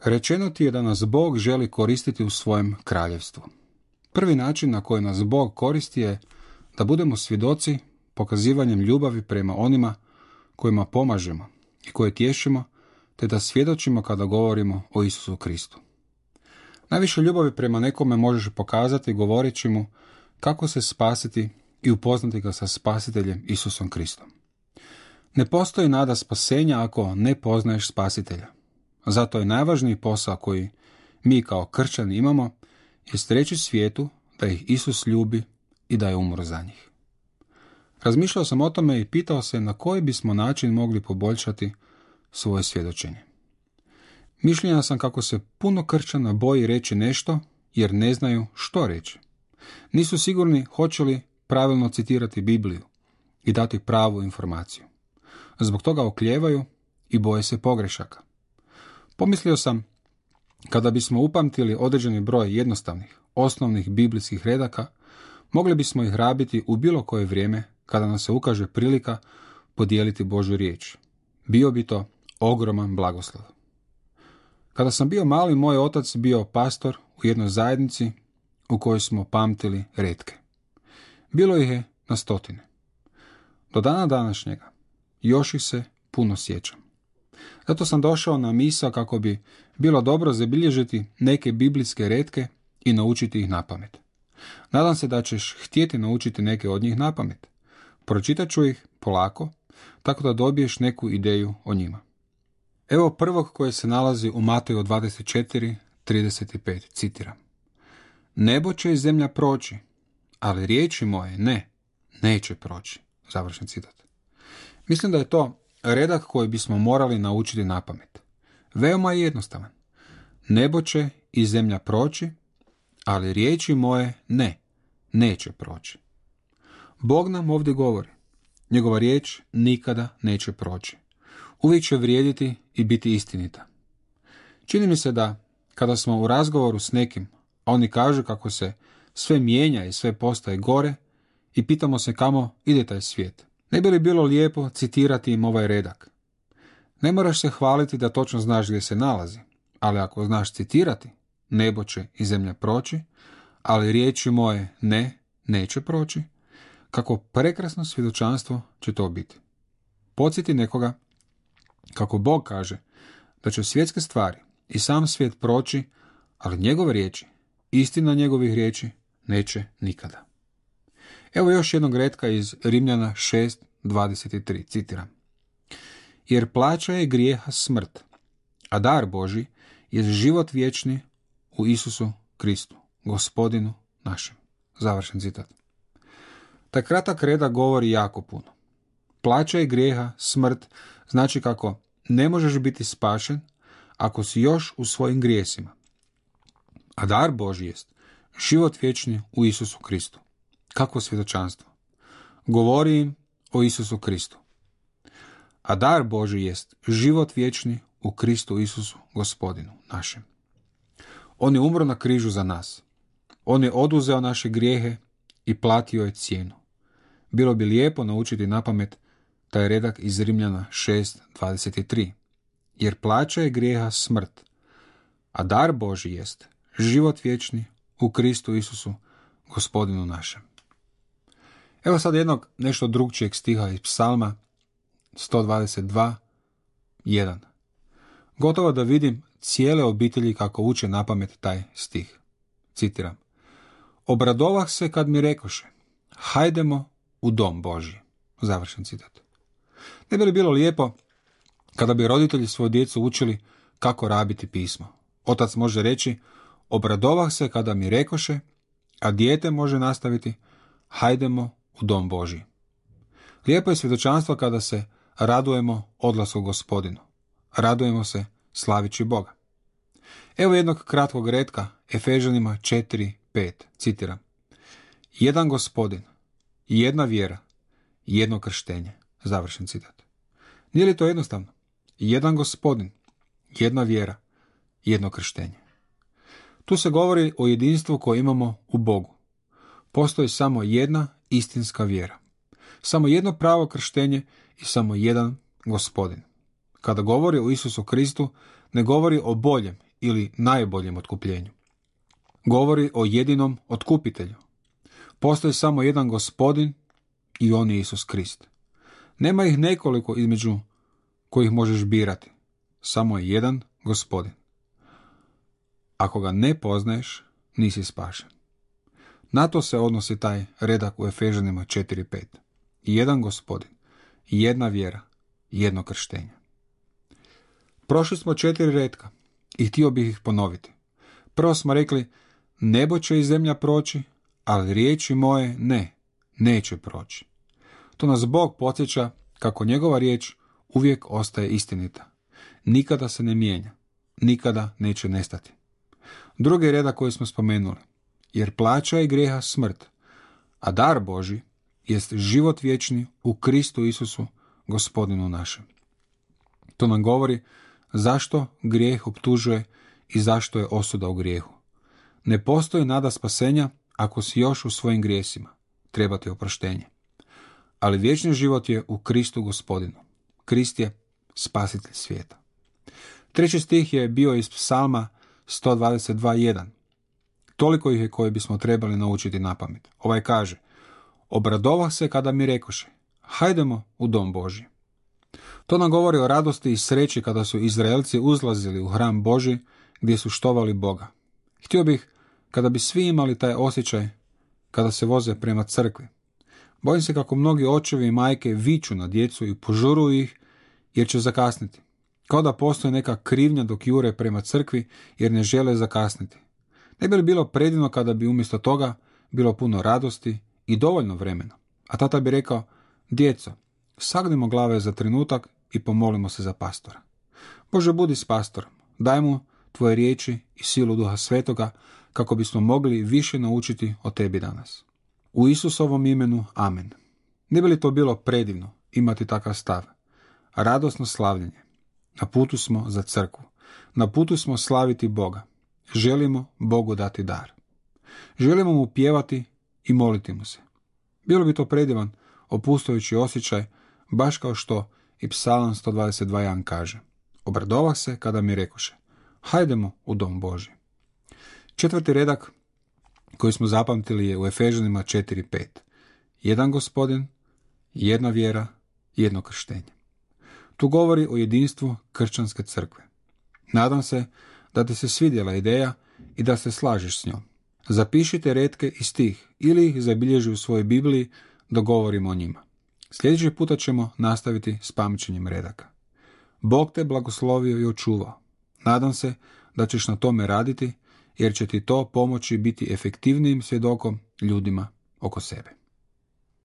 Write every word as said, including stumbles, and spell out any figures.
Rečeno ti je da nas Bog želi koristiti u svojem kraljevstvu. Prvi način na koji nas Bog koristi je da budemo svjedoci pokazivanjem ljubavi prema onima kojima pomažemo i koje tješimo, te da svjedočimo kada govorimo o Isusu Kristu. Najviše ljubavi prema nekome možeš pokazati govoreći mu kako se spasiti i upoznati ga sa spasiteljem Isusom Kristom. Ne postoji nada spasenja ako ne poznaješ spasitelja. Zato je najvažniji posao koji mi kao kršćani imamo jest reći svijetu da ih Isus ljubi i da je umro za njih. Razmišljao sam o tome i pitao se na koji bismo način mogli poboljšati svoje svjedočenje. Mišljenja sam kako se puno kršćana boji reći nešto jer ne znaju što reći. Nisu sigurni hoće li pravilno citirati Bibliju i dati pravu informaciju. Zbog toga oklijevaju i boje se pogrešaka. Pomislio sam, kada bismo upamtili određeni broj jednostavnih, osnovnih biblijskih redaka, mogli bismo ih rabiti u bilo koje vrijeme kada nam se ukaže prilika podijeliti Božju riječ. Bio bi to ogroman blagoslov. Kada sam bio mali, moj otac bio pastor u jednoj zajednici u kojoj smo pamtili retke. Bilo ih je na stotine. Do dana današnjega još ih se puno sjećam. Zato sam došao na misao kako bi bilo dobro zabilježiti neke biblijske retke i naučiti ih napamet. Nadam se da ćeš htjeti naučiti neke od njih napamet. Pročitat ću ih polako, tako da dobiješ neku ideju o njima. Evo prvog koje se nalazi u Mateju dvadeset četiri trideset pet, citiram. Nebo će i zemlja proći, ali riječi moje ne, neće proći. Završen citat. Mislim da je to redak koji bismo morali naučiti napamet. Veoma je jednostavan. Nebo će i zemlja proći, ali riječi moje ne, neće proći. Bog nam ovdje govori. Njegova riječ nikada neće proći. Uvijek će vrijediti i biti istinita. Čini mi se da kada smo u razgovoru s nekim, a oni kažu kako se sve mijenja i sve postaje gore i pitamo se kamo ide taj svijet, ne bi li bilo lijepo citirati im ovaj redak? Ne moraš se hvaliti da točno znaš gdje se nalazi, ali ako znaš citirati, nebo će i zemlja proći, ali riječi moje ne, neće proći, kako prekrasno svjedočanstvo će to biti. Podsjeti nekoga kako Bog kaže da će svjetske stvari i sam svijet proći, ali njegove riječi, istina njegovih riječi, neće nikada. Evo još jednog retka iz Rimljana šest dvadeset tri, citiram. Jer plaća je grijeha smrt, a dar Božji je život vječni u Isusu Kristu, Gospodinu našem. Završen citat. Taj kratak redak govori jako puno. Plaća je grijeha smrt, znači kako ne možeš biti spašen ako si još u svojim grijesima. A dar Božji jest život vječni u Isusu Kristu. Kakvo svjedočanstvo? Govori im o Isusu Kristu. A dar Božji jest život vječni u Kristu Isusu, Gospodinu našem. On je umro na križu za nas. On je oduzeo naše grijehe i platio je cijenu. Bilo bi lijepo naučiti napamet taj redak iz Rimljana šest dvadeset tri. Jer plaća je grijeha smrt, a dar Božji jest život vječni u Kristu Isusu, Gospodinu našem. Evo sad jednog nešto drugčijeg stiha iz Psalma sto dvadeset dva, jedan. Gotovo da vidim cijele obitelji kako uče napamet taj stih. Citiram. Obradovah se kad mi rekoše, hajdemo u dom Božji. Završen citat. Ne bi li bilo lijepo kada bi roditelji svoju djecu učili kako rabiti pismo? Otac može reći, obradovah se kada mi rekoše, a dijete može nastaviti, hajdemo u dom Božji. Lijepo je svjedočanstvo kada se radujemo odlasku Gospodinu. Radujemo se slavići Boga. Evo jednog kratkog retka, Efežanima četiri pet, citiram. Jedan Gospodin, jedna vjera, jedno krštenje. Završen citat. Nije li to jednostavno? Jedan Gospodin, jedna vjera, jedno krštenje. Tu se govori o jedinstvu koje imamo u Bogu. Postoji samo jedna istinska vjera. Samo jedno pravo krštenje i samo jedan Gospodin. Kada govori o Isusu Kristu, ne govori o boljem ili najboljem otkupljenju. Govori o jedinom otkupitelju. Postoji samo jedan gospodin i on je Isus Krist. Nema ih nekoliko između kojih možeš birati. Samo je jedan gospodin. Ako ga ne poznaješ, nisi spašen. Na to se odnosi taj redak u Efežanima četiri pet. Jedan gospodin, jedna vjera, jedno krštenje. Prošli smo četiri retka i htio bih ih ponoviti. Prvo smo rekli, nebo će i zemlja proći, ali riječi moje ne, neće proći. To nas Bog podsjeća kako njegova riječ uvijek ostaje istinita. Nikada se ne mijenja, nikada neće nestati. Drugi redak koji smo spomenuli, jer plaća je grijeha smrt, a dar Božji jest život vječni u Kristu Isusu, gospodinu našem. To nam govori zašto grijeh optužuje i zašto je osuda u grijehu. Ne postoji nada spasenja ako si još u svojim grijesima. Treba ti oproštenje. Ali vječni život je u Kristu gospodinu. Krist je spasitelj svijeta. Treći stih je bio iz Psalma sto dvadeset dva jedan. Toliko ih je koje bismo trebali naučiti napamet. Ovaj kaže, obradovah se kada mi rekoše, hajdemo u dom Božji. To nam govori o radosti i sreći kada su Izraelci uzlazili u hram Božji gdje su štovali Boga. Htio bih kada bi svi imali taj osjećaj kada se voze prema crkvi. Bojim se kako mnogi očevi i majke viču na djecu i požuruju ih jer će zakasniti. Kao da postoji neka krivnja dok jure prema crkvi jer ne žele zakasniti. Ne bi li bilo predivno kada bi umjesto toga bilo puno radosti i dovoljno vremena? A tata bi rekao, djeco, sagnimo glave za trenutak i pomolimo se za pastora. Bože, budi s pastorom, daj mu tvoje riječi i silu Duha Svetoga kako bismo mogli više naučiti o tebi danas. U Isusovom imenu, amen. Ne bi li to bilo predivno imati takav stav? Radosno slavljenje. Na putu smo za crkvu. Na putu smo slaviti Boga. Želimo Bogu dati dar. Želimo mu pjevati i moliti mu se. Bilo bi to predivan, opustujući osjećaj, baš kao što i Psalam sto dvadeset dva jedan kaže. Obradovah se kada mi rekoše, hajdemo u dom Božji. Četvrti redak koji smo zapamtili je u Efežanima četiri pet. Jedan gospodin, jedna vjera, jedno krštenje. Tu govori o jedinstvu kršćanske crkve. Nadam se da ti se svidjela ideja i da se slažeš s njom. Zapišite retke iz tih ili ih zabilježi u svojoj Bibliji dok govorimo o njima. Sljedeći puta ćemo nastaviti s pamćenjem redaka. Bog te blagoslovio i očuvao. Nadam se da ćeš na tome raditi jer će ti to pomoći biti efektivnijim svjedokom ljudima oko sebe.